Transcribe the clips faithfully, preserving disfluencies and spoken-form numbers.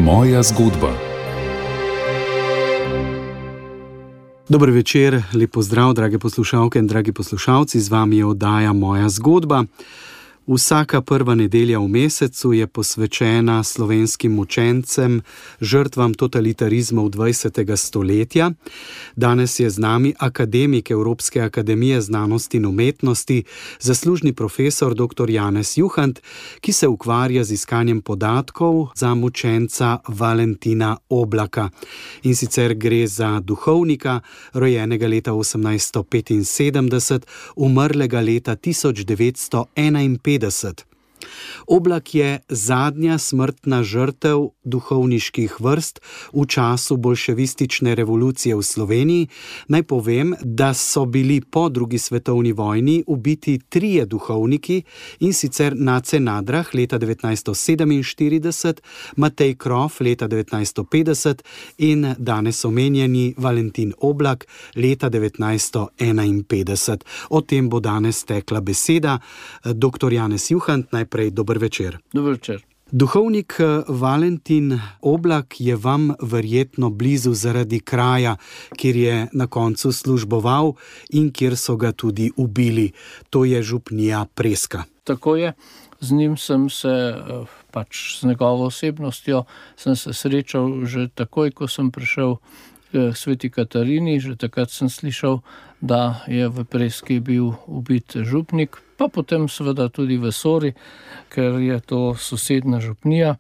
Moja zgodba. Dober večer, lep pozdrav, drage poslušalke in dragi poslušalci, z vami je oddaja Moja zgodba. Vsaka prva nedelja v mesecu je posvečena slovenskim mučencem, žrtvam totalitarizmov dvajsetega stoletja. Danes je z nami akademik Evropske akademije znanosti in umetnosti, zaslužni profesor doktor Janez Juhant, ki se ukvarja z iskanjem podatkov za mučenca Valentina Oblaka. In sicer gre za duhovnika, rojenega leta osemnajststo petinsedemdeset, umrlega leta tisoč devetsto enainpetdeset. Oblak je zadnja smrtna žrtev duhovniških vrst v času bolševistične revolucije v Sloveniji. Naj povem, da so bili po drugi svetovni vojni ubiti trije duhovniki, in sicer Nace Nadrah leta devetnajststo sedeminštirideset, Matej Krof leta devetnajststo petdeset in danes omenjeni Valentin Oblak leta devetnajststo enainpetdeset. O tem bo danes tekla beseda. Doktor Janez Juhant, najprej dober večer. Dober večer. Duhovnik Valentin Oblak je vam verjetno blizu zaradi kraja, kjer je na koncu služboval in kjer so ga tudi ubili. To je župnija Preska. Tako je. Z njim sem se, pač z njegovo osebnostjo, sem se srečal že takoj, ko sem prišel k Sveti Katarini. Že takrat sem slišal, da je v Preski bil ubit župnik, pa potem seveda tudi v Sori, ker je to sosedna župnija,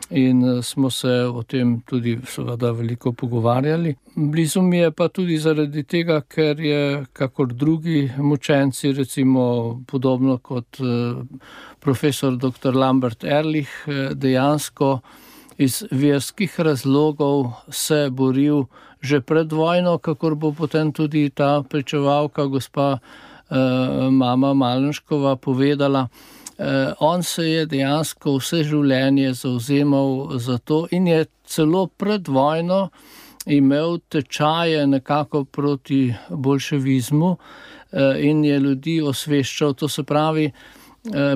in smo se o tem tudi seveda veliko pogovarjali. Blizu mi je pa tudi zaradi tega, ker je kakor drugi mučenci, recimo podobno kot profesor doktor Lambert Ehrlich, dejansko iz verskih razlogov se boril že pred vojno, kakor bo potem tudi ta pričevalka, gospa mama Malenškova, povedala. On se je dejansko vse življenje zavzemal za to in je celo pred vojno imel tečaje nekako proti bolševizmu in je ljudi osveščal. To se pravi,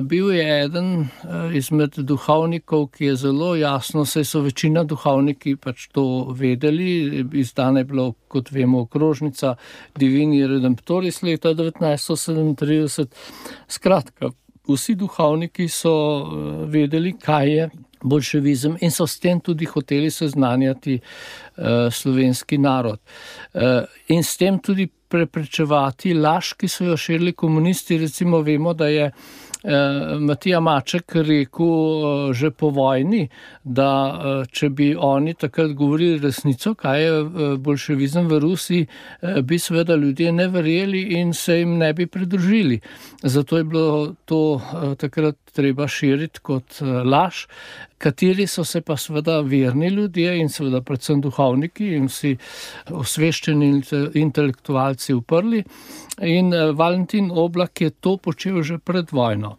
bil je eden izmed duhovnikov, ki je zelo jasno, saj so večina duhovniki pač to vedeli, izdana je bila, kot vemo, okrožnica Divini Redemptoris leta devetnajststo sedemintrideset. Skratka, vsi duhovniki so vedeli, kaj je bolševizem, in so s tem tudi hoteli seznanjati slovenski narod. In s tem tudi preprečevati laž, ki so jo širili komunisti. Recimo vemo, da je Matija Maček rekel že po vojni, da če bi oni takrat govorili resnico, kaj je bolševizem v Rusiji, bi seveda ljudje ne verjeli in se jim ne bi pridružili. Zato je bilo to takrat treba širiti kot laž, kateri so se pa seveda verni ljudje in seveda predvsem duhovniki in vsi osveščeni intelektualci uprli. In Valentin Oblak je to počel že pred vojno.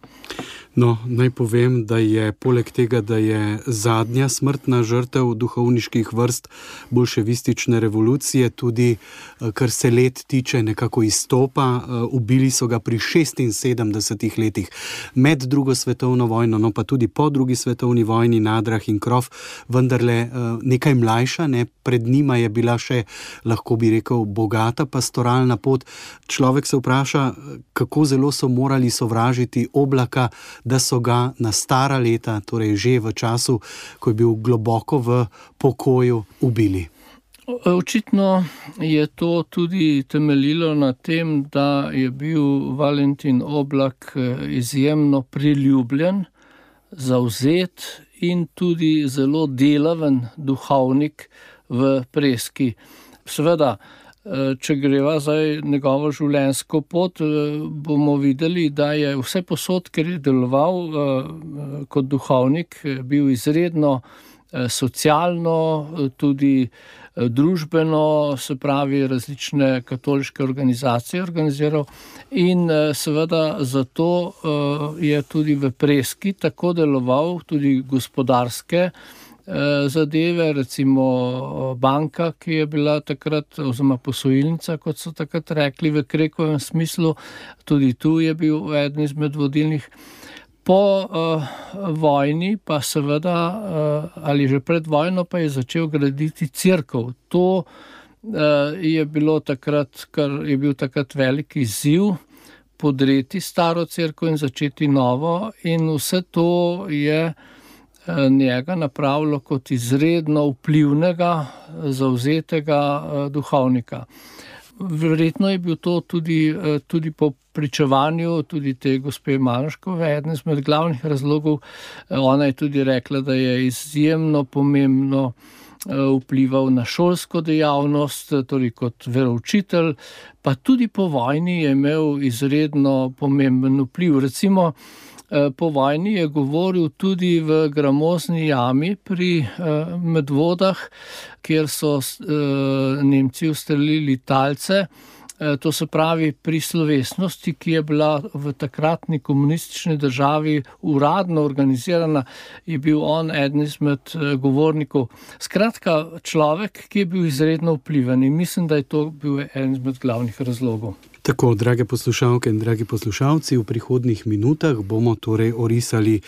No, naj povem, da je poleg tega, da je zadnja smrtna žrtev duhovniških vrst bolševistične revolucije, tudi kar se let tiče nekako izstopa. Ubili so ga pri šestinsedemdesetih letih med drugo svetovno vojno, no pa tudi po drugi svetovni vojni, Nadrah in Krof, vendarle nekaj mlajša, ne? Pred njima je bila še, lahko bi rekel, bogata pastoralna pot. Človek se vpraša, kako zelo so morali sovražiti Oblaka, da so ga na stara leta, torej že v času, ko je bil globoko v pokoju, ubili. Očitno je to tudi temeljilo na tem, da je bil Valentin Oblak izjemno priljubljen, zavzet in tudi zelo delaven duhovnik v Preski. Seveda, če greva zdaj njegovo življenjsko pot, bomo videli, da je vse posod, ker je deloval kot duhovnik, bil izredno socialno, tudi družbeno, se pravi različne katoliške organizacije organiziral, in seveda zato je tudi v Preski tako deloval, tudi gospodarske zadeve, recimo banka, ki je bila takrat, oziroma posojilnica, kot so takrat rekli v Krekovem smislu, tudi tu je bil eden izmed vodilnih. Po uh, vojni pa seveda, uh, ali že pred vojno, pa je začel graditi cerkev. To uh, je bilo takrat, kar je bil takrat velik izziv, podreti staro cerkev in začeti novo, in vse to je njega napravilo kot izredno vplivnega, zavzetega duhovnika. Verjetno je bil to tudi, tudi po pričevanju tudi te gospe Maroškove eden izmed glavnih razlogov. Ona je tudi rekla, da je izjemno pomembno vplival na šolsko dejavnost, torej kot veroučitelj, pa tudi po vojni je imel izredno pomemben vpliv. Recimo, po vojni je govoril tudi v Gramozni jami pri Medvodah, kjer so Nemci ustrelili talce. To se pravi, pri slovesnosti, ki je bila v takratni komunistični državi uradno organizirana, je bil on eden izmed govornikov. Skratka, človek, ki je bil izredno vpliven, in mislim, da je to bil eden izmed glavnih razlogov. Tako, drage poslušalke in dragi poslušalci, v prihodnjih minutah bomo torej orisali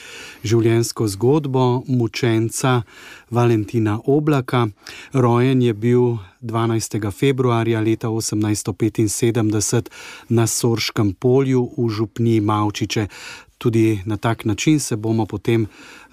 življenjsko zgodbo mučenca Valentina Oblaka. Rojen je bil dvanajstega februarja leta osemnajststo petinsedemdeset na Sorškem polju v župniji Mavčiče. Tudi na tak način se bomo potem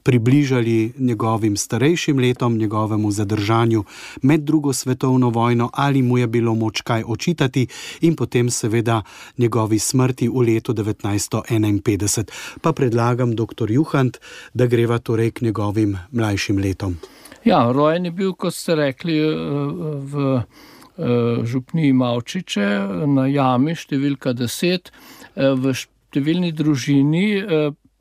približali njegovim starejšim letom, njegovemu zadržanju med drugo svetovno vojno, ali mu je bilo moč kaj očitati, in potem seveda njegovi smrti v letu devetnajststo enainpetdeset. Pa predlagam, doktor Juhant, da greva torej k njegovim mlajšim letom. Ja, rojen je bil, kot ste rekli, v župniji Mavčiče na jami številka deset, v številni družini,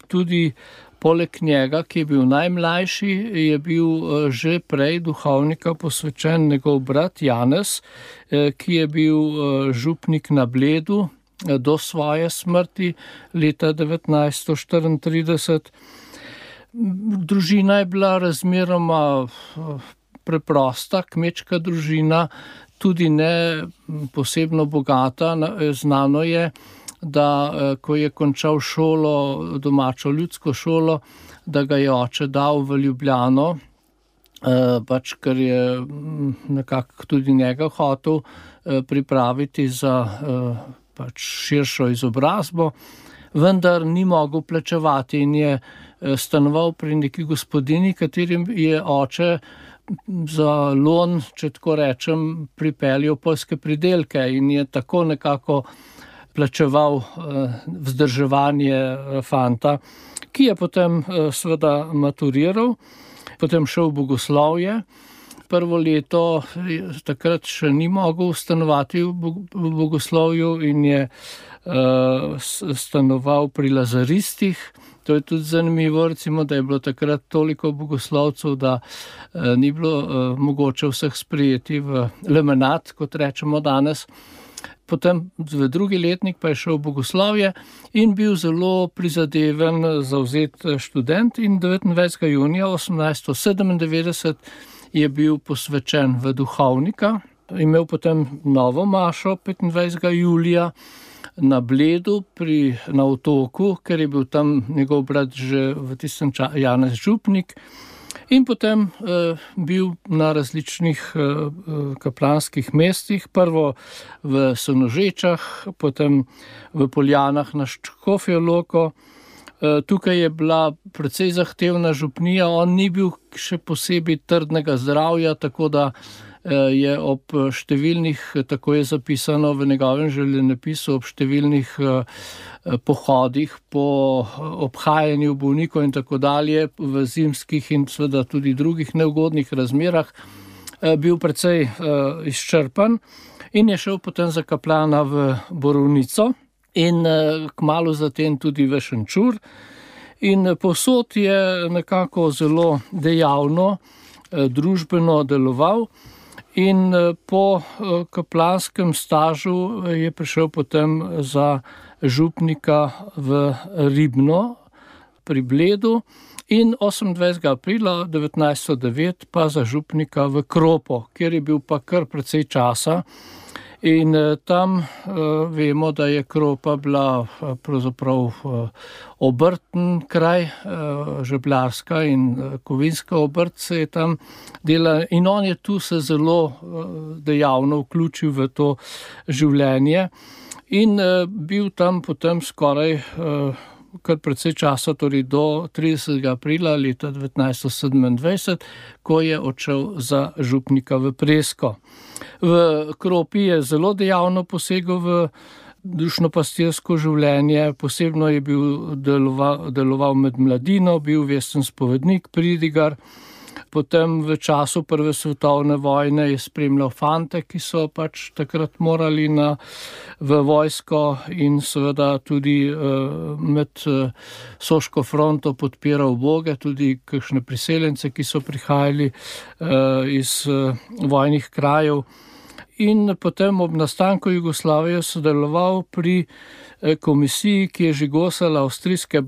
tudi poleg njega, ki je bil najmlajši, je bil že prej duhovnika posvečen njegov brat Janez, ki je bil župnik na Bledu do svoje smrti leta devetnajststo štiriintrideset. Družina je bila razmeroma preprosta, kmečka družina, tudi ne posebno bogata. Znano je, da ko je končal šolo, domačo ljudsko šolo, da ga je oče dal v Ljubljano, pač ker je nekako tudi njega hotel pripraviti za pač širšo izobrazbo, vendar ni mogel plačevati in je stanoval pri neki gospodini, katerim je oče za lon, če tako rečem, pripeljal poljske pridelke in je tako nekako plačeval vzdrževanje fanta, ki je potem seveda maturiral, potem šel v bogoslovje. Prvo leto takrat še ni mogel stanovati v bogoslovju in je stanoval pri lazaristih. To je tudi zanimivo, recimo, da je bilo takrat toliko bogoslovcev, da ni bilo mogoče vseh sprejeti v lemenat, kot rečemo danes. Potem v drugi letnik pa je šel v bogoslovje in bil zelo prizadeven, zavzet študent, in devetindvajsetega junija osemnajststo sedemindevetdeset je bil posvečen v duhovnika. Imel potem novo mašo petindvajsetega julija na Bledu pri, na Otoku, ker je bil tam njegov brat že v tistem času Janez župnik. In potem eh, bil na različnih eh, kaplanskih mestih, prvo v Sonožečah, potem v Poljanah na Škofjo Loko. Eh, tukaj je bila precej zahtevna župnija, on ni bil še posebej trdnega zdravja, tako da eh, je ob številnih, tako je zapisano v njegovem življenjepisu, ob številnih eh, pohodih po obhajanju bolnikov in tako dalje v zimskih in seveda tudi drugih neugodnih razmerah bil precej izčrpan in je šel potem za kaplana v Borovnico in kmalu zatem tudi v Šenčur. In povsod je nekako zelo dejavno, družbeno deloval. In po kaplanskem stažu je prišel potem za župnika v Ribno pri Bledu in osemindvajsetega aprila devetnajststo devet pa za župnika v Kropo, kjer je bil pa kar precej časa. In tam uh, vemo, da je Kropa bila uh, pravzaprav uh, obrten kraj, uh, žebljarska in uh, kovinska obrt se je tam delala in on je tu se zelo uh, dejavno vključil v to življenje in uh, bil tam potem skoraj uh, kar precej časa, torej do tridesetega aprila leta devetnajststo sedemindvajset, ko je odšel za župnika v Presko. V Kropi je zelo dejavno posegel v dušno-pastirsko življenje, posebno je bil deloval, deloval med mladino, bil vesten spovednik, pridigar. Potem v času prve svetovne vojne je spremljal fante, ki so pač takrat morali na, v vojsko in seveda tudi uh, med uh, Soško fronto podpiral uboge, tudi kakšne priseljence, ki so prihajali uh, iz uh, vojnih krajev. In potem ob nastanku Jugoslavije sodeloval pri komisiji, ki je žigosala avstrijske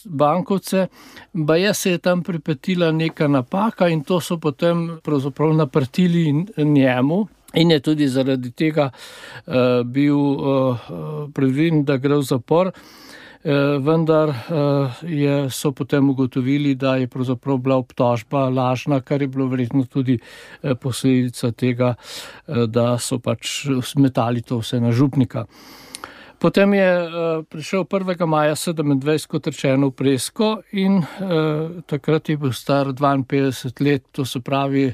bankovce, baje se je tam pripetila neka napaka in to so potem pravzaprav naprtili njemu in je tudi zaradi tega uh, bil uh, predviden, da gre v zapor. Vendar je, so potem ugotovili, da je pravzaprav bila obtožba lažna, kar je bilo verjetno tudi posledica tega, da so pač smetali to vse na župnika. Potem je prišel prvega maja sedemindvajset kot rečeno v Presko in eh, takrat je bil star dvainpetdeset let, to se pravi,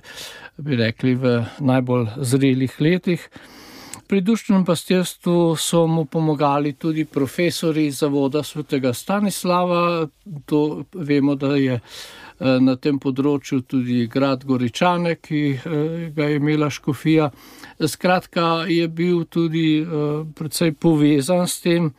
bi rekli, v najbolj zrelih letih. Pri dušnem pastirstvu so mu pomagali tudi profesori zavoda svetega Stanislava. To vemo, da je na tem področju tudi grad Goričane, ki ga je imela škofija. Skratka, je bil tudi precej povezan s tem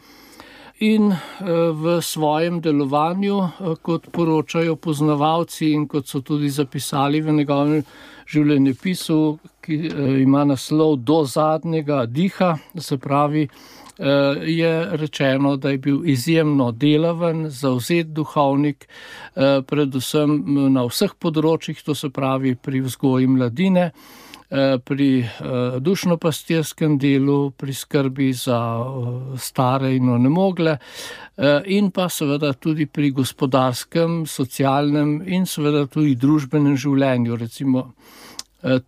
in v svojem delovanju, kot poročajo poznavalci in kot so tudi zapisali v njegovem življenjepisu, ki ima naslov Do zadnjega diha, se pravi, je rečeno, da je bil izjemno delaven, zavzet duhovnik, predvsem na vseh področjih, to se pravi pri vzgoji mladine, pri dušno-pastirskem delu, pri skrbi za stare in onemogle in pa seveda tudi pri gospodarskem, socialnem in seveda tudi družbenem življenju. Recimo,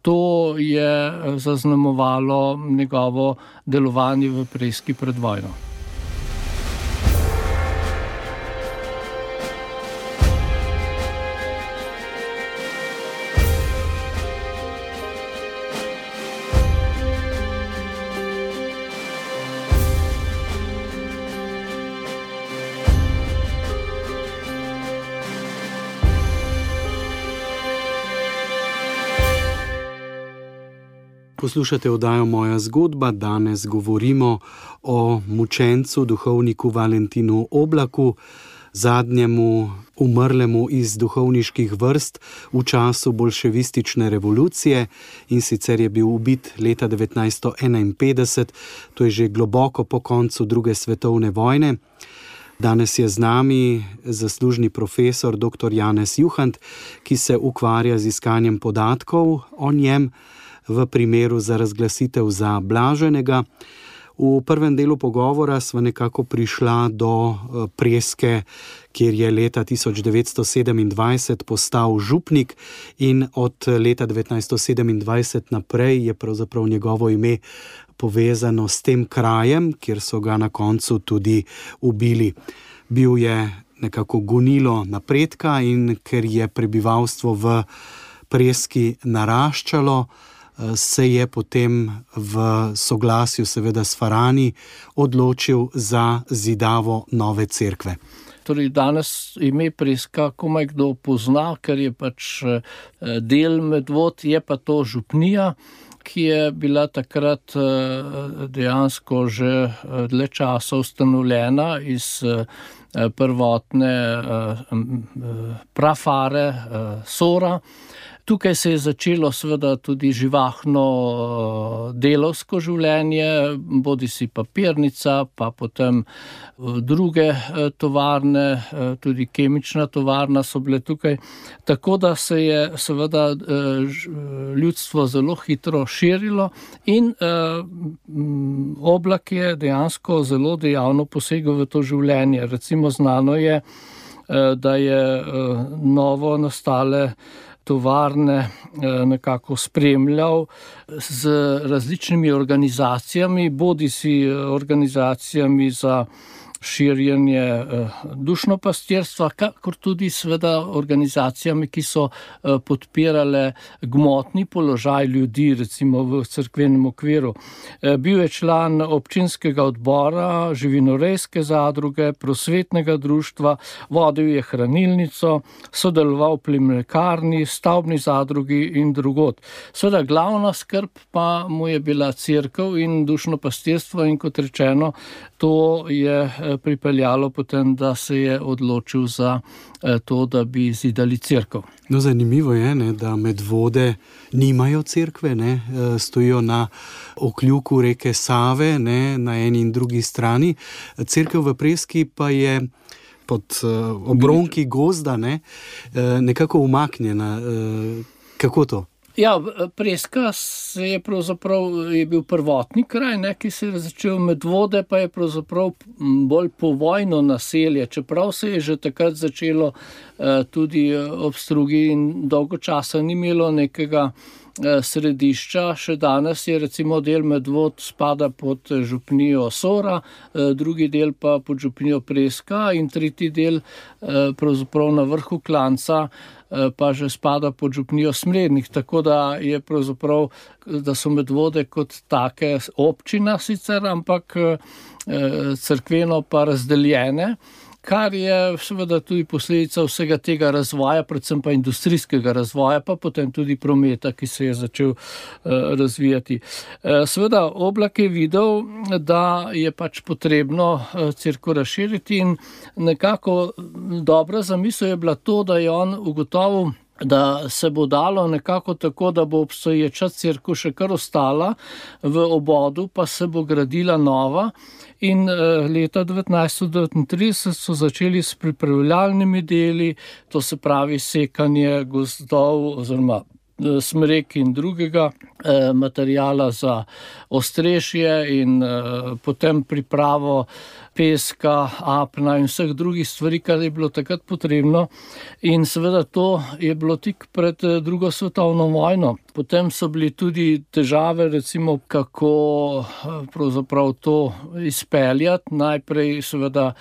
to je zaznamovalo njegovo delovanje v Preski pred vojno. Poslušate oddajo Moja zgodba, danes govorimo o mučencu, duhovniku Valentinu Oblaku, zadnjemu umrlemu iz duhovniških vrst v času bolševistične revolucije in sicer je bil ubit leta devetnajststo enainpetdeset, to je že globoko po koncu druge svetovne vojne. Danes je z nami zaslužni profesor doktor Janez Juhant, ki se ukvarja z iskanjem podatkov o njem v primeru za razglasitev za blaženega. V prvem delu pogovora sva nekako prišla do Preske, kjer je leta tisoč devetsto sedemindvajset postal župnik in od leta devetnajststo sedemindvajset naprej je pravzaprav njegovo ime povezano s tem krajem, kjer so ga na koncu tudi ubili. Bil je nekako gonilo napredka in ker je prebivalstvo v Preski naraščalo, se je potem v soglasju seveda s Farani odločil za zidavo nove cerkve. Torej danes ime Preska komaj kdo pozna, ker je pač del Medvod, je pa to župnija, ki je bila takrat dejansko že dlje časa ustanovljena iz prvotne prafare Sora. Tukaj se je začelo seveda tudi živahno delovsko življenje, bodi si papirnica, pa potem druge tovarne, tudi kemična tovarna so bile tukaj. Tako da se je seveda ljudstvo zelo hitro širilo in Oblak je dejansko zelo dejavno posegel v to življenje. Recimo znano je, da je novo nastale tovarne nekako spremljal z različnimi organizacijami, bodi si organizacijami za širjenje dušnopastirstva, kakor tudi seveda organizacijami, ki so podpirale gmotni položaj ljudi, recimo v cerkvenem okviru. Bil je član občinskega odbora, živinorejske zadruge, prosvetnega društva, vodil je hranilnico, sodeloval pri mlekarni, stavbni zadrugi in drugod. Seveda glavna skrb pa mu je bila cerkev in dušnopastirstvo in kot rečeno, to je pripeljalo potem, da se je odločil za to, da bi zidali cerkev. No, zanimivo je, ne, da Medvode nimajo cerkve, ne, stojijo na okljuku reke Save, ne, na eni in drugi strani. Cerkev v Preski pa je pod obronki gozda, ne, nekako umaknjena. Kako to? Ja, Preska se je pravzaprav je bil prvotni kraj, ne, ki se je začel, Medvode pa je pravzaprav bolj povojno naselje, čeprav se je že takrat začelo eh, tudi ob Strugi in dolgo časa ni imelo nekega eh, središča. Še danes je recimo del Medvod spada pod župnijo Sora, eh, drugi del pa pod župnijo Preska in tretji del eh, pravzaprav na vrhu klanca pa že spada pod župnijo Smlednik, tako da je pravzaprav, da so Medvode kot take občina sicer, ampak cerkveno pa razdeljene, kar je seveda tudi posledica vsega tega razvoja, predvsem pa industrijskega razvoja, pa potem tudi prometa, ki se je začel razvijati. Seveda Oblak je videl, da je pač potrebno cerkev razširiti in nekako dobra zamisel je bila to, da je on ugotovil, da se bo dalo nekako tako, da bo obstoječa cerkev še kar ostala v obodu, pa se bo gradila nova. In leta devetnajststo devetintrideset so začeli s pripravljalnimi deli, to se pravi sekanje gozdov oziroma smrek in drugega eh, materijala za ostrešje in eh, potem pripravo peska, apna in vseh drugih stvari, kar je bilo takrat potrebno. In seveda to je bilo tik pred drugo svetovno vojno. Potem so bili tudi težave, recimo, kako pravzaprav to izpeljati. Najprej seveda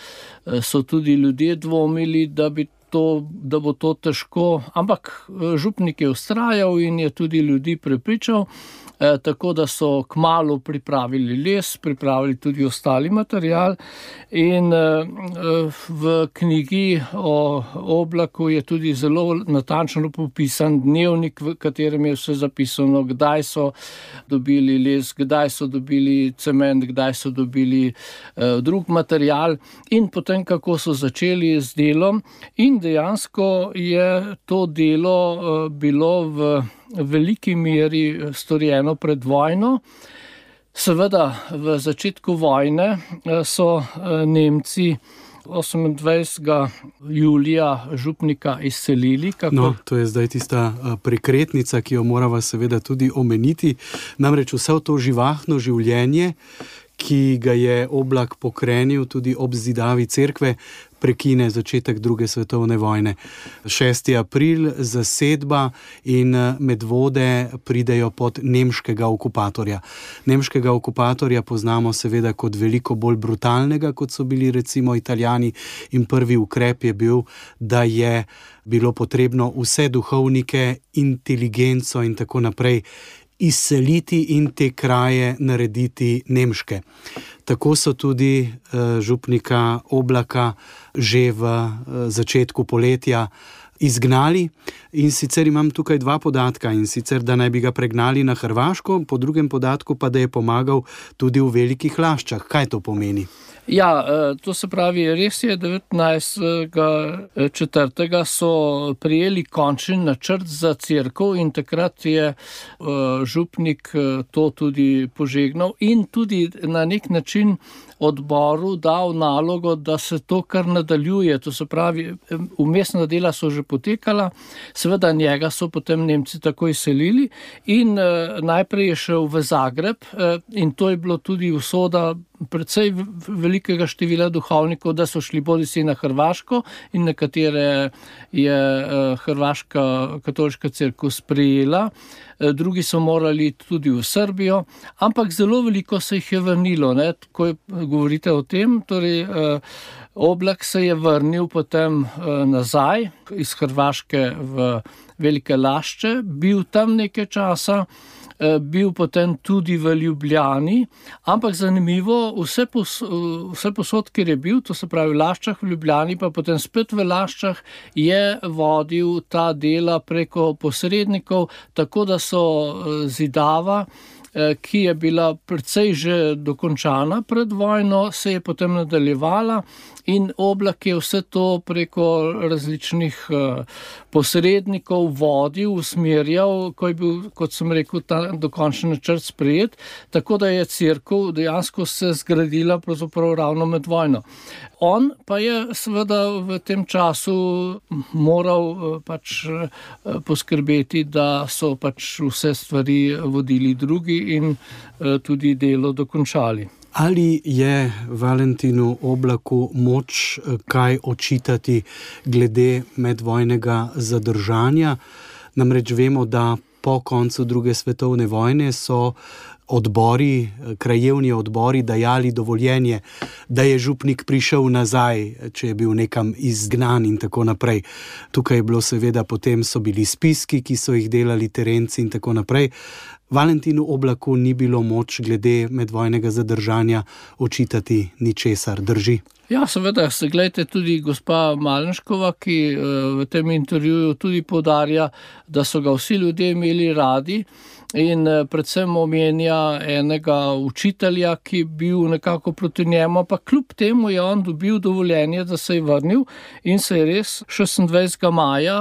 so tudi ljudje dvomili, da bi To, da bo to težko, ampak župnik je vztrajal in je tudi ljudi prepričal, eh, tako da so kmalu pripravili les, pripravili tudi ostali material in eh, v knjigi o Oblaku je tudi zelo natančno popisan dnevnik, v katerem je vse zapisano, kdaj so dobili les, kdaj so dobili cement, kdaj so dobili eh, drug material in potem kako so začeli z delom in dejansko je to delo bilo v veliki meri storjeno pred vojno. Seveda v začetku vojne so Nemci osemindvajsetega julija župnika izselili. Kako... No, to je zdaj tista prekretnica, ki jo morava seveda tudi omeniti. Namreč vse to živahno življenje, ki ga je Oblak pokrenil tudi ob zidavi cerkve, prekine začetek druge svetovne vojne. šesti april, zasedba in Medvode pridejo pod nemškega okupatorja. Nemškega okupatorja poznamo seveda kot veliko bolj brutalnega, kot so bili recimo Italijani, in prvi ukrep je bil, da je bilo potrebno vse duhovnike, inteligenco in tako naprej izseliti in te kraje narediti nemške. Tako so tudi uh, župnika Oblaka že v uh, začetku poletja izgnali. In sicer imam tukaj dva podatka, in sicer, da naj bi ga pregnali na Hrvaško, po drugem podatku pa, da je pomagal tudi v Velikih Laščah. Kaj to pomeni? Ja, to se pravi, res je, devetnajstega četrtega so prijeli končni načrt za cerkev in takrat je župnik to tudi požegnal in tudi na nek način odboru dal nalogo, da se to kar nadaljuje. To se pravi, vmesna dela so že potekala, seveda njega so potem Nemci takoj selili in najprej je šel v Zagreb in to je bilo tudi usoda predvsej velikega števila duhovnikov, da so šli bodisi na Hrvaško in nekatere je Hrvaška katoliška cerkev sprejela, drugi so morali tudi v Srbijo, ampak zelo veliko se jih je vrnilo, ne, ko govorite o tem, torej Oblak se je vrnil potem nazaj iz Hrvaške v Velike Lašče, bil tam nekaj časa, bil potem tudi v Ljubljani, ampak zanimivo, vse, pos, vse posod, kjer je bil, to se pravi v Laščah, v Ljubljani, pa potem spet v Laščah, je vodil ta dela preko posrednikov, tako da so zidava, ki je bila precej že dokončana pred vojno, se je potem nadaljevala in Oblak je vse to preko različnih posrednikov vodil, usmerjal, ko je bil, kot sem rekel, ta dokončni načrt sprejet, tako da je cerkev dejansko se zgradila pravzaprav ravno med vojno. On pa je seveda v tem času moral pač poskrbeti, da so pač vse stvari vodili drugi in tudi delo dokončali. Ali je Valentinu Oblaku moč kaj očitati glede medvojnega zadržanja? Namreč vemo, da po koncu druge svetovne vojne so odbori, krajevni odbori dajali dovoljenje, da je župnik prišel nazaj, če je bil nekam izgnan in tako naprej. Tukaj je bilo seveda, potem so bili spiski, ki so jih delali terenci in tako naprej. Valentinu Oblaku ni bilo moč glede medvojnega zadržanja očitati ničesar, drži? Ja, seveda, se gledajte, tudi gospa Malenškova, ki v tem intervjuju tudi poudarja, da so ga vsi ljudje imeli radi in predvsem omenja enega učitelja, ki je bil nekako proti njemu, pa kljub temu je on dobil dovoljenje, da se je vrnil in se je res šestindvajsetega maja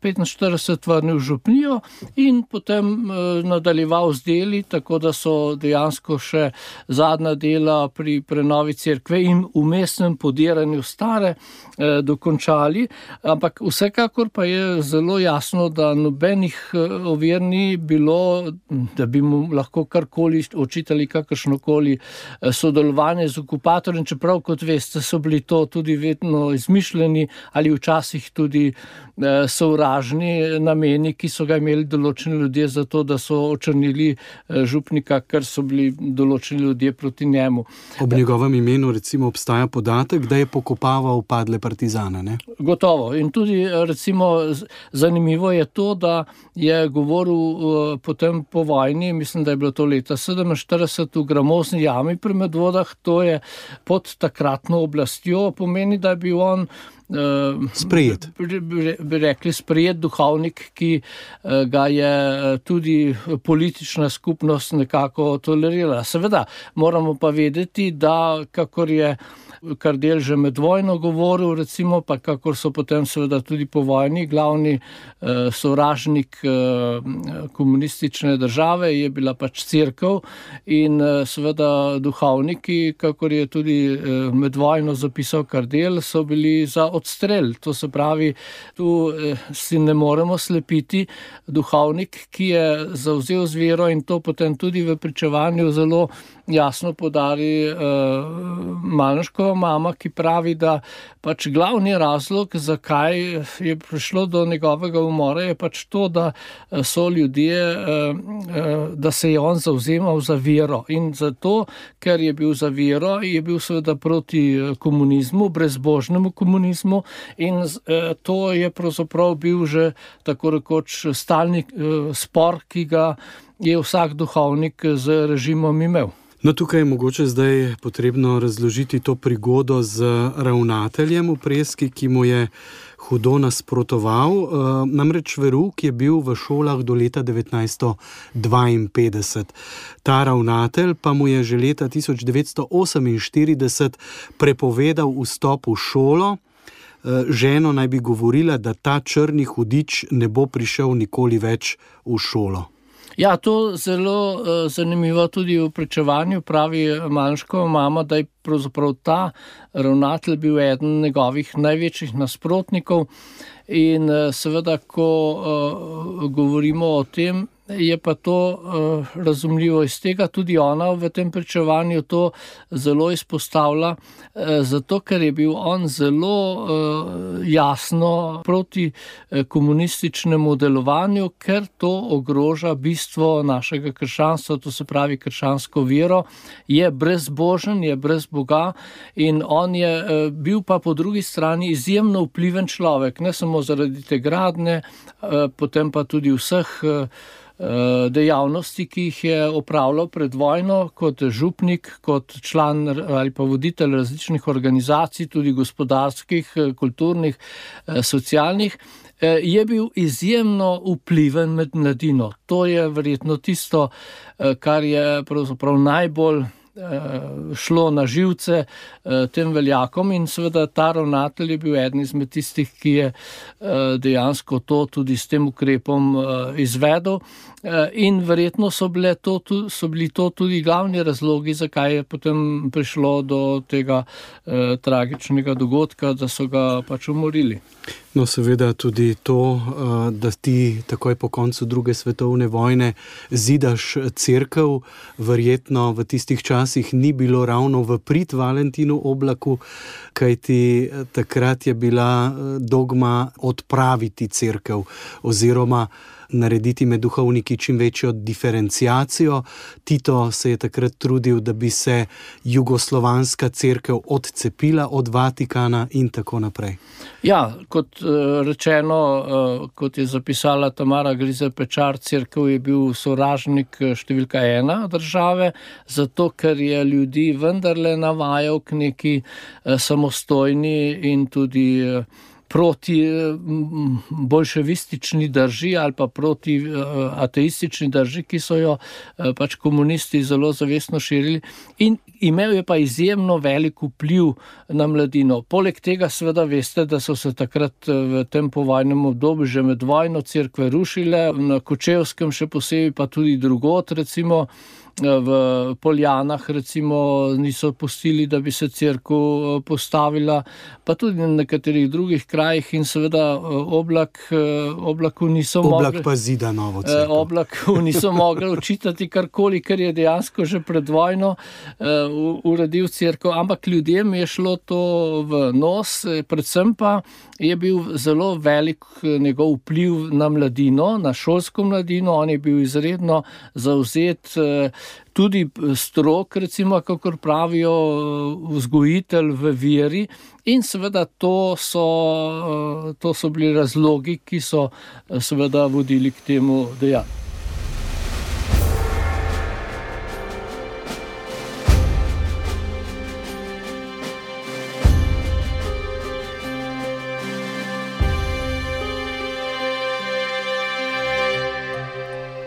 petinštirideset vrnil v župnijo in potem nadaljeval z deli, tako da so dejansko še zadnja dela pri prenovi cerkve in vmesnem podiranju stare eh, dokončali, ampak vsekakor pa je zelo jasno, da nobenih ovir ni bilo, da bi mu lahko karkoli očitali kakršnokoli sodelovanje z okupatorjem, čeprav, kot veste, so bili to tudi vedno izmišljeni ali včasih tudi eh, sovražni nameni, ki so ga imeli določeni ljudje za to, da so očrnili eh, župnika, ker so bili določeni ljudje proti njemu. Ob njegovem imenu recimo obstaja podatek, da je pokopaval padle partizane, ne? Gotovo. In tudi recimo zanimivo je to, da je govoril uh, potem po vojni, mislim, da je bilo to leta sedeminštirideset v gramozni jami pri Medvodah, to je pod takratno oblastjo, pomeni, da je bil on Uh, sprejet. Bi, bi rekli sprejet duhovnik, ki uh, ga je tudi politična skupnost nekako tolerirala. Seveda, moramo pa vedeti, da kakor je Kardelj že med vojno govoril, recimo, pa kakor so potem seveda tudi po vojni glavni uh, sovražnik uh, komunistične države, je bila pač cerkev in uh, seveda duhovniki, kakor je tudi uh, med vojno zapisal Kardelj, so bili za odstrel. To se pravi, tu eh, si ne moremo slepiti. Duhovnik, ki je zavzel z vero in to potem tudi v pričevanju zelo jasno podari eh, Malenškova mama, ki pravi, da pač glavni razlog, zakaj je prišlo do njegovega umora, je pač to, da so ljudje, eh, da se je on zavzemal za vero. In zato, ker je bil za vero, je bil seveda proti komunizmu, brezbožnemu komunizmu, in eh, to je pravzaprav bil že tako rekoč stalni eh, spor, ki ga je vsak duhovnik z režimom imel. No, tukaj je mogoče zdaj potrebno razložiti to prigodo z ravnateljem v Preski, ki mu je hudo nasprotoval. Namreč verouk je bil v šolah do leta devetnajststo dvainpetdeset. Ta ravnatelj pa mu je že leta tisoč devetsto oseminštirideset prepovedal vstop v šolo. Ženo naj bi govorila, da ta črni hudič ne bo prišel nikoli več v šolo. Ja, to zelo uh, zanimivo tudi v pričevanju pravi Malnškova mama, da je pravzaprav ta ravnatelj bil eden njegovih največjih nasprotnikov in uh, seveda, ko uh, govorimo o tem, je pa to uh, razumljivo iz tega, tudi ona v tem pričevanju to zelo izpostavlja, uh, zato ker je bil on zelo uh, jasno proti uh, komunističnemu delovanju, ker to ogroža bistvo našega krščanstva, to se pravi krščansko vero, je brezbožen, je brez Boga in on je uh, bil pa po drugi strani izjemno vpliven človek, ne samo zaradi te gradnje, uh, potem pa tudi vseh uh, dejavnosti, ki jih je opravljal pred vojno kot župnik, kot član ali pa voditelj različnih organizacij, tudi gospodarskih, kulturnih, socialnih, je bil izjemno vpliven med mladino. To je verjetno tisto, kar je pravzaprav najbolj šlo na živce tem veljakom in seveda ta ravnatelj je bil eden izmed tistih, ki je dejansko to tudi s tem ukrepom izvedel in verjetno so, bile to, so bili to tudi glavni razlogi, zakaj je potem prišlo do tega eh, tragičnega dogodka, da so ga pač umorili. No, seveda tudi to, da ti takoj po koncu druge svetovne vojne zidaš cerkev, verjetno v tistih časih ni bilo ravno v prid Valentinu Oblaku, kajti takrat je bila dogma odpraviti cerkev oziroma narediti med duhovniki čim večjo diferenciacijo. Tito se je takrat trudil, da bi se jugoslovanska cerkev odcepila od Vatikana in tako naprej. Ja, kot rečeno, kot je zapisala Tamara Grizer Pečar, cerkev je bil sovražnik številka ena države, zato ker je ljudi vendarle navajal k neki samostojni in tudi proti bolševistični drži ali pa proti ateistični drži, ki so jo pač komunisti zelo zavestno širili in imel je pa izjemno velik vpliv na mladino. Poleg tega seveda veste, da so se takrat v tem povojnem obdobju že med vojno cerkve rušile, na Kočevskem še posebej, pa tudi drugod, recimo v Poljanah recimo niso pustili, da bi se cerkev postavila, pa tudi na nekaterih drugih krajih in seveda Oblak, Oblaku niso Oblak mogli, pa zida novo cerkev. Oblaku niso mogli očitati karkoli, ker je dejansko že pred vojno uredil cerkev, ampak ljudem je šlo to v nos, predvsem pa je bil zelo velik njegov vpliv na mladino, na šolsko mladino, on je bil izredno zavzet, tudi strok, recimo, kakor pravijo, vzgojitelj v veri in seveda to so, to so bili razlogi, ki so seveda vodili k temu dejanju.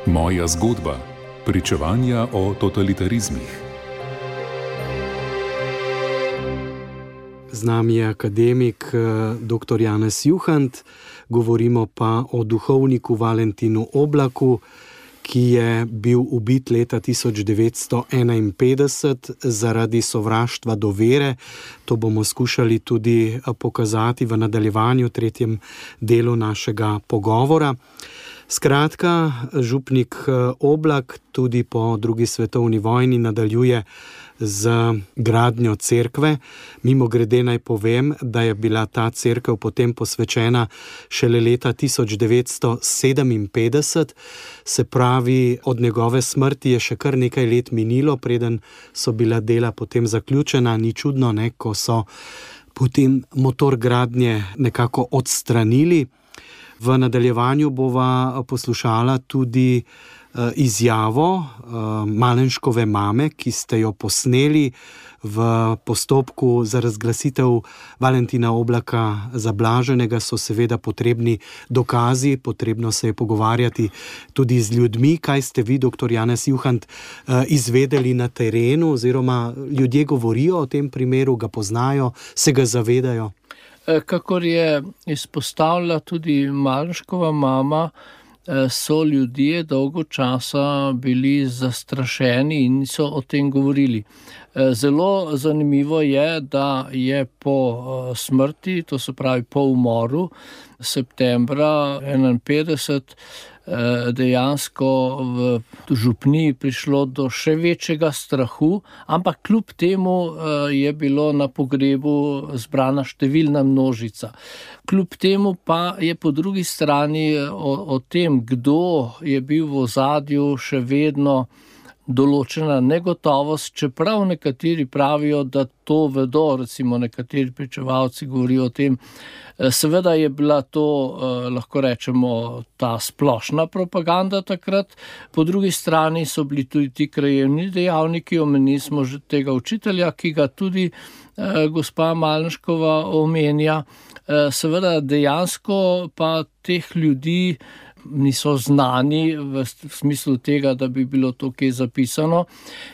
Moja zgodba. Pričevanja o totalitarizmih. Z nami je akademik dr. Janez Juhant, govorimo pa o duhovniku Valentinu Oblaku, ki je bil ubit leta tisoč devetsto enainpetdeset zaradi sovraštva do vere. To bomo skušali tudi pokazati v nadaljevanju, tretjem delu našega pogovora. Skratka, župnik Oblak tudi po drugi svetovni vojni nadaljuje z gradnjo cerkve. Mimogrede naj povem, da je bila ta cerkev potem posvečena šele leta tisoč devetsto sedeminpetdeset, se pravi, od njegove smrti je še kar nekaj let minilo, preden so bila dela potem zaključena. Ni čudno, ne, ko so potem motor gradnje nekako odstranili. V nadaljevanju bova poslušala tudi izjavo Malenškove mame, ki ste jo posneli v postopku za razglasitev Valentina Oblaka za blaženega. So seveda potrebni dokazi, potrebno se je pogovarjati tudi z ljudmi. Kaj ste vi, doktor Janez Juhant, izvedeli na terenu, oziroma ljudje govorijo o tem primeru, ga poznajo, se ga zavedajo? Kakor je izpostavila tudi Malenškova mama, so ljudje dolgo časa bili zastrašeni in niso o tem govorili. Zelo zanimivo je, da je po smrti, to se pravi po umoru, septembra enainpetdeset, dejansko v župniji prišlo do še večjega strahu, ampak kljub temu je bilo na pogrebu zbrana številna množica. Kljub temu pa je po drugi strani o, o tem, kdo je bil v ozadju, še vedno določena negotovost, čeprav nekateri pravijo, da to vedo, recimo nekateri pričevalci govorijo o tem. Seveda je bila to, lahko rečemo, ta splošna propaganda takrat, po drugi strani so bili tudi ti krajevni dejavniki, omenili smo že tega učitelja, ki ga tudi gospa Malenškova omenja. Seveda dejansko pa teh ljudi niso znani v smislu tega, da bi bilo to kje zapisano.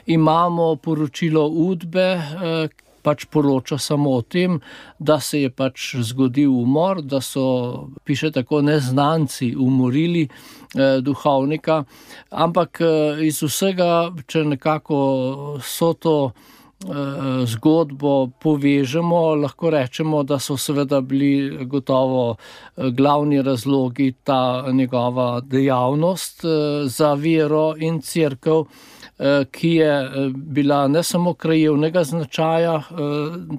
Imamo poročilo Udbe, pač poroča samo o tem, da se je pač zgodil umor, da so, piše tako, neznanci umorili eh, duhovnika, ampak eh, iz vsega, če nekako so to zgodbo povežemo, lahko rečemo, da so seveda bili gotovo glavni razlogi ta njegova dejavnost za vero in cerkev, ki je bila ne samo krajevnega značaja,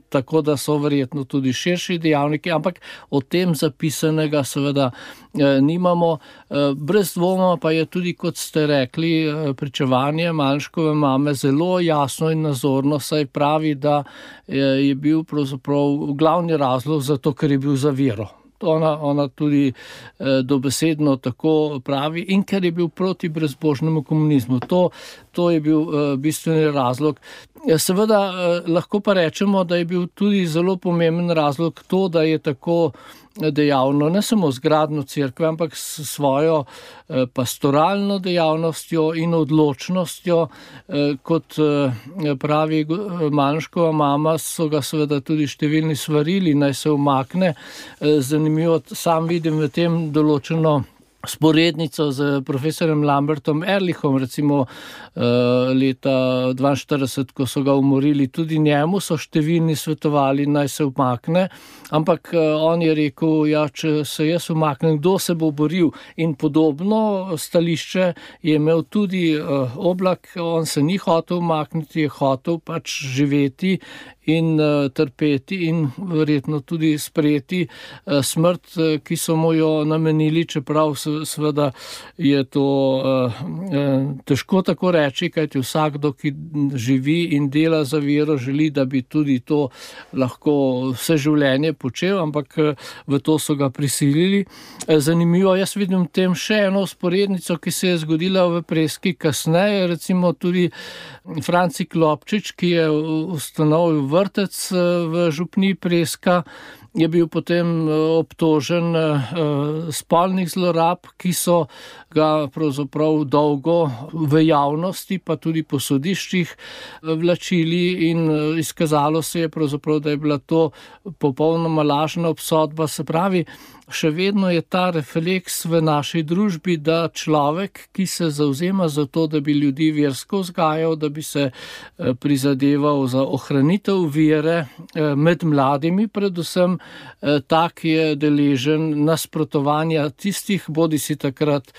tako da so verjetno tudi širši dejavniki, ampak o tem zapisanega seveda nimamo. Brez dvoma pa je tudi, kot ste rekli, pričevanje Malenškove mame zelo jasno in nazorno, saj pravi, da je bil pravzaprav glavni razlog za to, ker je bil za vero. Ona, ona tudi eh, dobesedno tako pravi, in ker je bil proti brezbožnemu komunizmu. To, to je bil eh, bistveni razlog. Seveda eh, lahko pa rečemo, da je bil tudi zelo pomemben razlog to, da je tako dejavno, ne samo z gradnjo cerkve, ampak s svojo eh, pastoralno dejavnostjo in odločnostjo, eh, kot eh, pravi Malenškova mama, so ga seveda tudi številni svarili, naj se umakne. Eh, zanimivo, sam vidim v tem določeno sporednico z profesorjem Lambertom Ehrlichom, recimo leta dvainštirideset, ko so ga umorili, tudi njemu so številni svetovali, naj se umakne, ampak on je rekel, ja, če se jaz umaknem, kdo se bo boril? In podobno stališče je imel tudi Oblak, on se ni hotel umakniti, je hotel pač živeti in uh, trpeti in verjetno tudi sprejeti uh, smrt, uh, ki so mu jo namenili, čeprav seveda je to uh, uh, težko tako reči, kajti vsakdo, ki živi in dela za vero, želi, da bi tudi to lahko vse življenje počel, ampak uh, v to so ga prisilili. Uh, zanimivo, jaz vidim tem še eno sporednico, ki se je zgodila v Preski kasneje, recimo tudi Franci Klopčič, ki je ustanovil vrtec v župniji Preska, je bil potem obtožen spolnih zlorab, ki so ga pravzaprav dolgo v javnosti, pa tudi po sodiščih vlačili, in izkazalo se je pravzaprav, da je bila to popolnoma lažna obsodba. Se pravi, še vedno je ta refleks v naši družbi, da človek, ki se zavzema za to, da bi ljudi versko vzgajal, da bi se prizadeval za ohranitev vere med mladimi predvsem, tak je deležen nasprotovanja tistih, bodisi takrat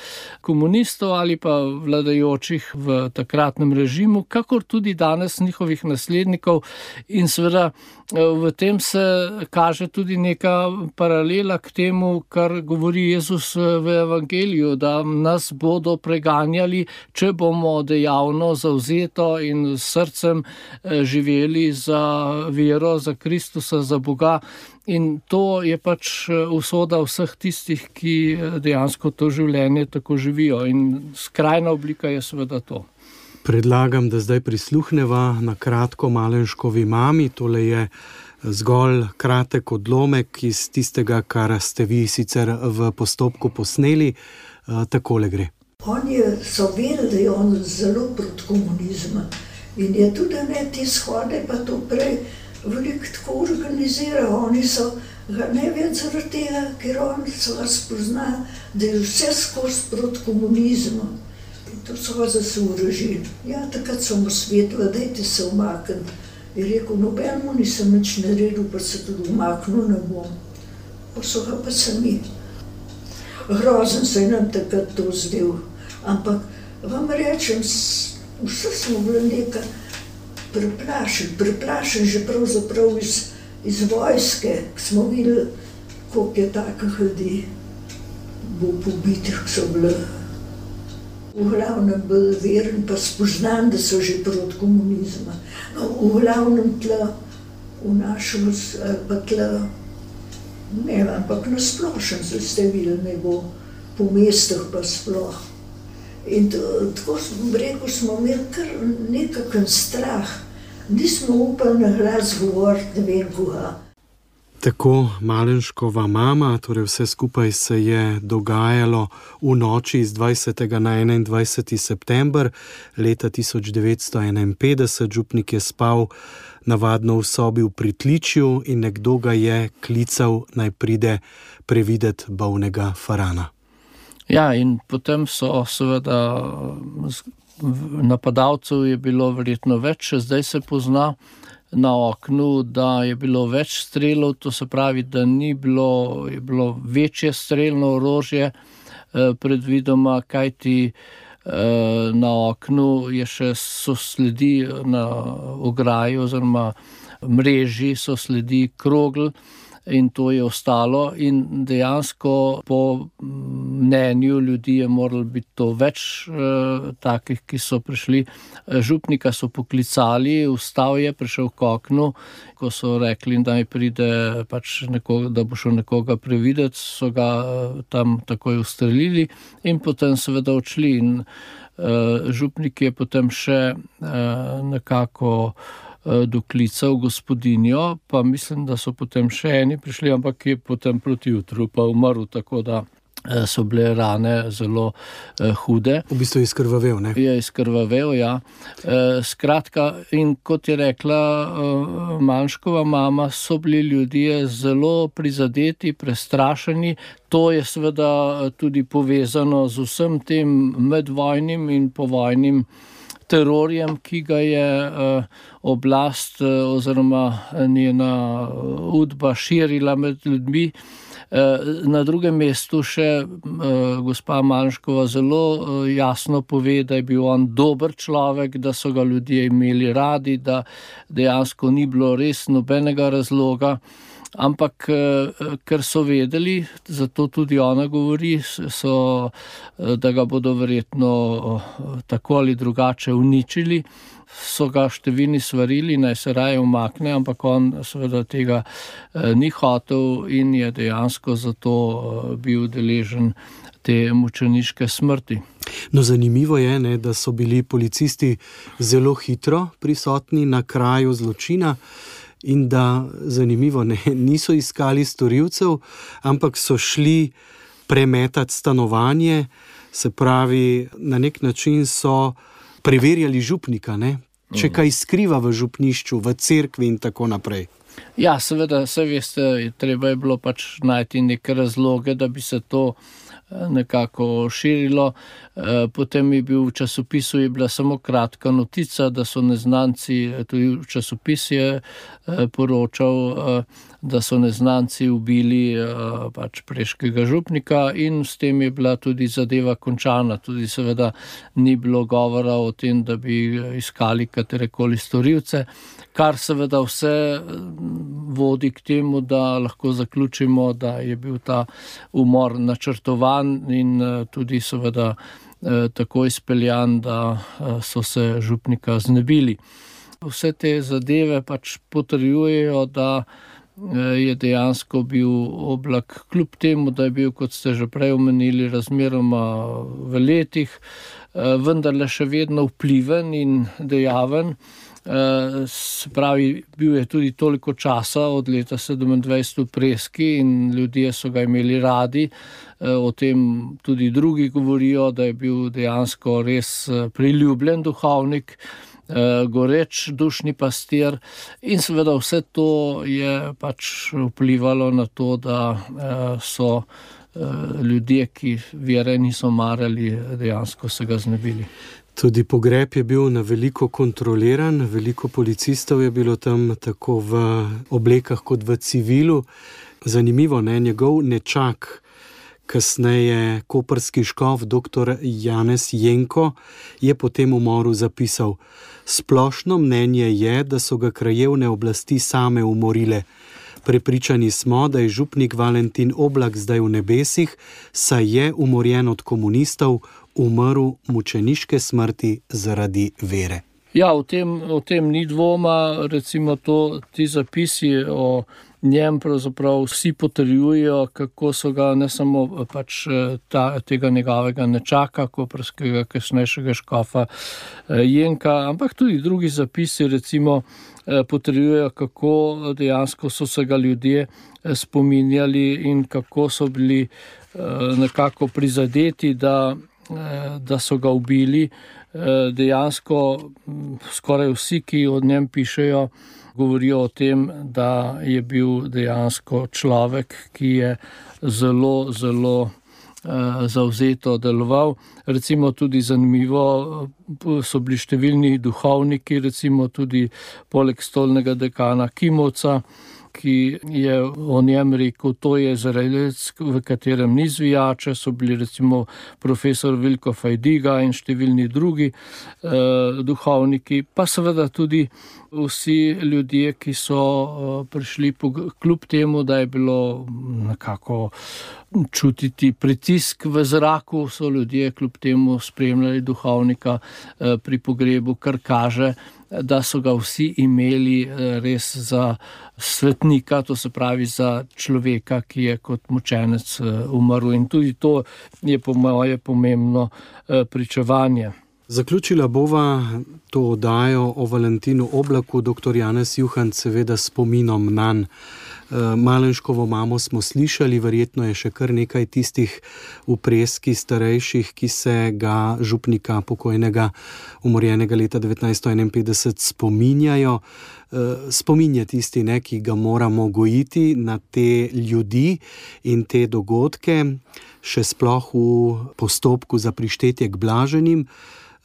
komunistov ali pa vladajočih v takratnem režimu, kakor tudi danes njihovih naslednikov. In seveda v tem se kaže tudi neka paralela k temu, temu, kar govori Jezus v evangeliju, da nas bodo preganjali, če bomo dejavno, zavzeto in s srcem živeli za vero, za Kristusa, za Boga. In to je pač usoda vseh tistih, ki dejansko to življenje tako živijo. In skrajna oblika je seveda to. Predlagam, da zdaj prisluhneva na kratko Malenškovi mami. Tole je zgolj kratek odlomek iz tistega, kar ste vi sicer v postopku posneli. Takole gre. On je, so vedeli, da je on zelo proti komunizmu. In je tudi ne te shode, pa to prej veliko tako organizira. Oni so ga ne več zaradi tega, ker oni so ga spoznali, da je vse skozi proti komunizmu. In to so ga zasorožili. Ja, takrat so mu svetila, dajte se umakniti. Je rekel, nobenemu nisem nič naredil, pa se tudi umaknil ne bom. Pa so ga pa sami. Grozen se je nam takrat to zdel. Ampak vam rečem, vse smo bili nekaj preplašeni. Preplašeni že pravzaprav iz, iz vojske, ki smo videli, koliko je takih ljudi bo pobitih, ki so bili v glavnem bolj verni, pa spoznani, da so že proti komunizmu. No, v glavnem tle, v našem, pa tle, ne, ampak na splošen, zdaj ste videli, ne bo po mestih pa sploh. In to, tako smo, rekel, smo imeli kar nekakšen strah. Nismo upali na glas govoriti, ne vem koga. Tako Malenškova mama, torej vse skupaj se je dogajalo v noči iz dvajsetega na enaindvajseti september leta tisoč devetsto enainpetdeset. Župnik je spal navadno v sobi v pritličju in nekdo ga je klical, naj pride previdet bolnega Farana. Ja, in potem so seveda napadalcev je bilo verjetno več, zdaj se pozna na oknu, da je bilo več strelov, to se pravi, da ni bilo, je bilo večje strelno orožje eh, predvidoma, kajti eh, na oknu je še so sledi na ograji oziroma mreži so sledi krogl in to je ostalo in dejansko po mnenju ljudi je moralo biti to več eh, takih, ki so prišli. Župnika so poklicali, vstal je, prišel k oknu, ko so rekli, da naj pride pač nekoga, da bo šel nekoga prevideti, so ga eh, tam takoj ustrelili in potem seveda odšli in eh, župnik je potem še eh, nekako doklical gospodinjo, pa mislim, da so potem še eni prišli, ampak je potem proti jutru pa umrl, tako da so bile rane zelo eh, hude. V bistvu je izkrvavel, ne? Je izkrvavel, ja. Eh, skratka, in kot je rekla eh, Malenškova mama, so bili ljudje zelo prizadeti, prestrašeni. To je seveda tudi povezano z vsem tem medvojnim in povojnim terorjem, ki ga je uh, oblast uh, oziroma njena udba širila med ljudmi. Uh, na drugem mestu še uh, gospa Malenškova zelo uh, jasno pove, da je bil on dober človek, da so ga ljudje imeli radi, da dejansko ni bilo res nobenega razloga. Ampak, ker so vedeli, zato tudi ona govori, so, da ga bodo verjetno tako ali drugače uničili, so ga številni svarili, naj se raje umakne, ampak on seveda tega ni hotel in je dejansko zato bil deležen te mučeniške smrti. No, zanimivo je, ne, da so bili policisti zelo hitro prisotni na kraju zločina, in da, zanimivo, ne, niso iskali storilcev, ampak so šli premetati stanovanje, se pravi, na nek način so preverjali župnika, ne, če kaj skriva v župnišču, v cerkvi in tako naprej. Ja, seveda, se veste, treba je bilo pač najti neke razloge, da bi se to nekako širilo. Potem je bil v časopisu je bila samo kratka notica, da so neznanci, tudi v časopis je poročal, da so neznanci ubili pač preškega župnika in s tem je bila tudi zadeva končana. Tudi seveda ni bilo govora o tem, da bi iskali katerekoli storilce, kar seveda vse vodi k temu, da lahko zaključimo, da je bil ta umor načrtovan in tudi seveda tako izpeljan, da so se župnika znebili. Vse te zadeve pač potrjujejo, da je dejansko bil Oblak, kljub temu, da je bil, kot ste že prej omenili, razmeroma v letih, vendarle še vedno vpliven in dejaven. Se pravi, bil je tudi toliko časa od leta sedemindvajset v Preski in ljudje so ga imeli radi. O tem tudi drugi govorijo, da je bil dejansko res priljubljen duhovnik, goreč dušni pastir in seveda vse to je pač vplivalo na to, da so ljudje, ki vere niso marali, dejansko se ga znebili. Tudi pogreb je bil na veliko kontroliran, veliko policistov je bilo tam tako v oblekah kot v civilu. Zanimivo, ne, njegov nečak, kasneje koprski škof doktor Janez Jenko, je po tem umoru zapisal: splošno mnenje je, da so ga krajevne oblasti same umorile. Prepričani smo, da je župnik Valentin Oblak zdaj v nebesih, saj je umorjen od komunistov, umrl mučeniške smrti zaradi vere. Ja, o tem, o tem ni dvoma, recimo to, ti zapisi o njem pravzaprav vsi potrjujejo, kako so ga ne samo pač ta, tega njegovega nečaka, koprskega kasnejšega škofa Jenka, ampak tudi drugi zapisi recimo potrjujejo, kako dejansko so se ga ljudje spominjali in kako so bili nekako prizadeti, da, da so ga ubili. Dejansko skoraj vsi, ki o njem pišejo, govorijo o tem, da je bil dejansko človek, ki je zelo, zelo zavzeto deloval. Recimo tudi zanimivo, so bili številni duhovniki, recimo tudi poleg stolnega dekana Kimovca, ki je o njem rekel, to je Izraelec, v katerem ni zvijače, so bili recimo profesor Vilko Fajdiga in številni drugi eh, duhovniki, pa seveda tudi vsi ljudje, ki so eh, prišli po, kljub temu, da je bilo nekako čutiti pritisk v zraku, so ljudje kljub temu spremljali duhovnika eh, pri pogrebu, kar kaže, da so ga vsi imeli res za svetnika, to se pravi za človeka, ki je kot mučenec umrl. In tudi to je po moje pomembno pričevanje. Zaključila bova to oddajo o Valentinu Oblaku, doktor Janez Juhant, seveda spominom nanj. Malenškovo mamo smo slišali, verjetno je še kar nekaj tistih v Preski starejših, ki se ga župnika pokojnega umorjenega leta devetnajststo enainpetdeset spominjajo. Spomin je tisti, ne, ki ga moramo gojiti na te ljudi in te dogodke, še sploh v postopku za prištetje k blaženim.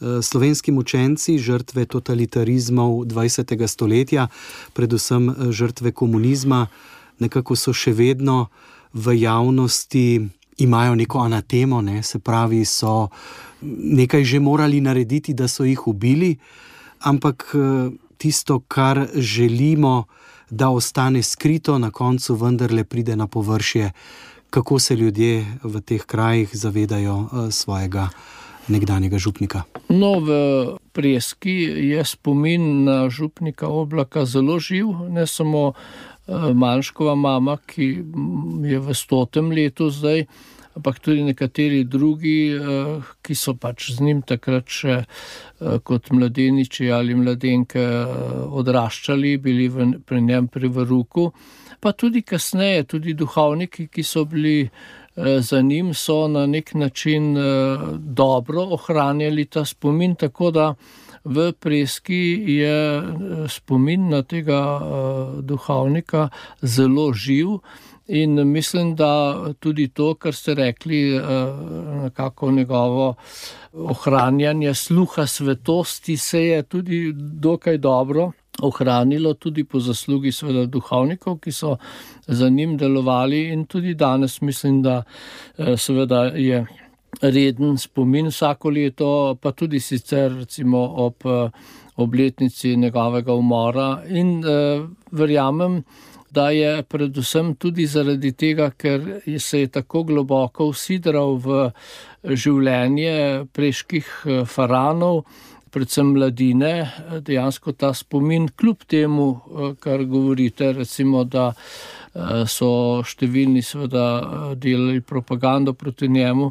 Slovenski mučenci, žrtve totalitarizmov dvajsetega stoletja, predvsem žrtve komunizma, nekako so še vedno v javnosti, imajo neko anatemo, ne? Se pravi, so nekaj že morali narediti, da so jih ubili, ampak tisto, kar želimo, da ostane skrito, na koncu vendarle pride na površje. Kako se ljudje v teh krajih zavedajo svojega nekdanjega župnika? No, v Preski je spomin na župnika Oblaka zelo živ, ne samo Malenškova mama, ki je v stotem letu zdaj, ampak tudi nekateri drugi, ki so pač z njim takrat še kot mladeniči ali mladenke odraščali, bili v, pri njem pri veruku, pa tudi kasneje, tudi duhovniki, ki so bili za njim, so na nek način dobro ohranjali ta spomin, tako da v Preski je spomin na tega duhovnika zelo živ In mislim, da tudi to, kar ste rekli, nekako njegovo ohranjanje sluha svetosti se je tudi dokaj dobro ohranilo, tudi po zaslugi seveda duhovnikov, ki so za njim delovali, in tudi danes mislim, da seveda je reden spomin vsako leto, pa tudi sicer recimo ob obletnici njegovega umora, in eh, verjamem, da je predvsem tudi zaradi tega, ker se je tako globoko usidral v življenje preških faraonov, predvsem mladine, dejansko ta spomin, kljub temu, kar govorite, recimo, da so številni seveda delali propagando proti njemu.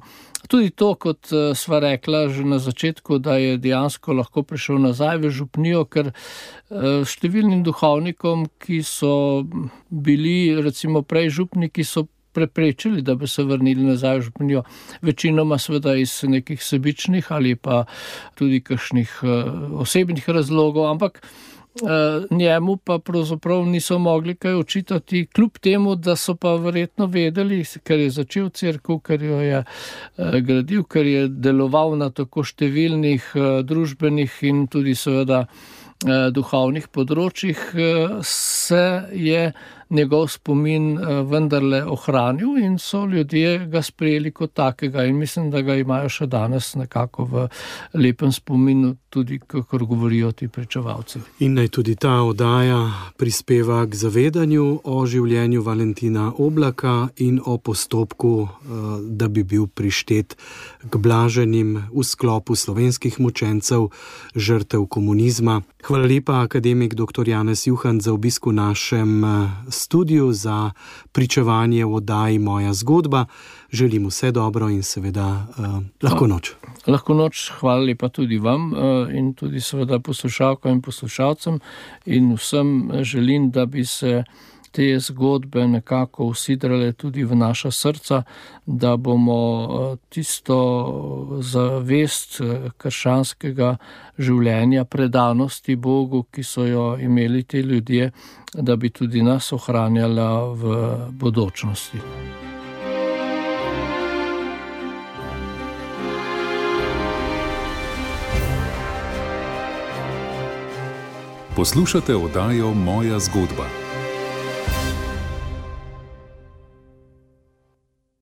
Tudi to, kot sva rekla že na začetku, da je dejansko lahko prišel nazaj v župnijo, ker številnim duhovnikom, ki so bili recimo prej župniki, so preprečili, da bi se vrnili nazaj v župnijo. Večinoma seveda iz nekih sebičnih ali pa tudi kakšnih osebnih razlogov, ampak njemu pa pravzaprav niso mogli kaj očitati, kljub temu, da so pa verjetno vedeli, ker je začel cerkev, ker jo je gradil, ker je deloval na tako številnih družbenih in tudi seveda duhovnih področjih, se je njegov spomin vendarle ohranil in so ljudje ga sprejeli kot takega, in mislim, da ga imajo še danes nekako v lepem spominu, tudi kakor govorijo ti pričevalci. In naj tudi ta oddaja prispeva k zavedanju o življenju Valentina Oblaka in o postopku, da bi bil prištet k blaženim v sklopu slovenskih mučencev, žrtev komunizma. Hvala lepa, akademik doktor Janez Juhant, za obisk v našem studiu, za pričevanje v oddaji Moja zgodba. Želim vse dobro in seveda uh, lahko noč. Lahko noč, hvala lepa tudi vam uh, in tudi seveda poslušalkam in poslušalcem, in vsem želim, da bi se te zgodbe nekako usidrale tudi v naša srca, da bomo tisto zavest krščanskega življenja, predanosti Bogu, ki so jo imeli ti ljudje, da bi tudi nas ohranjala v bodočnosti. Poslušate oddajo Moja zgodba.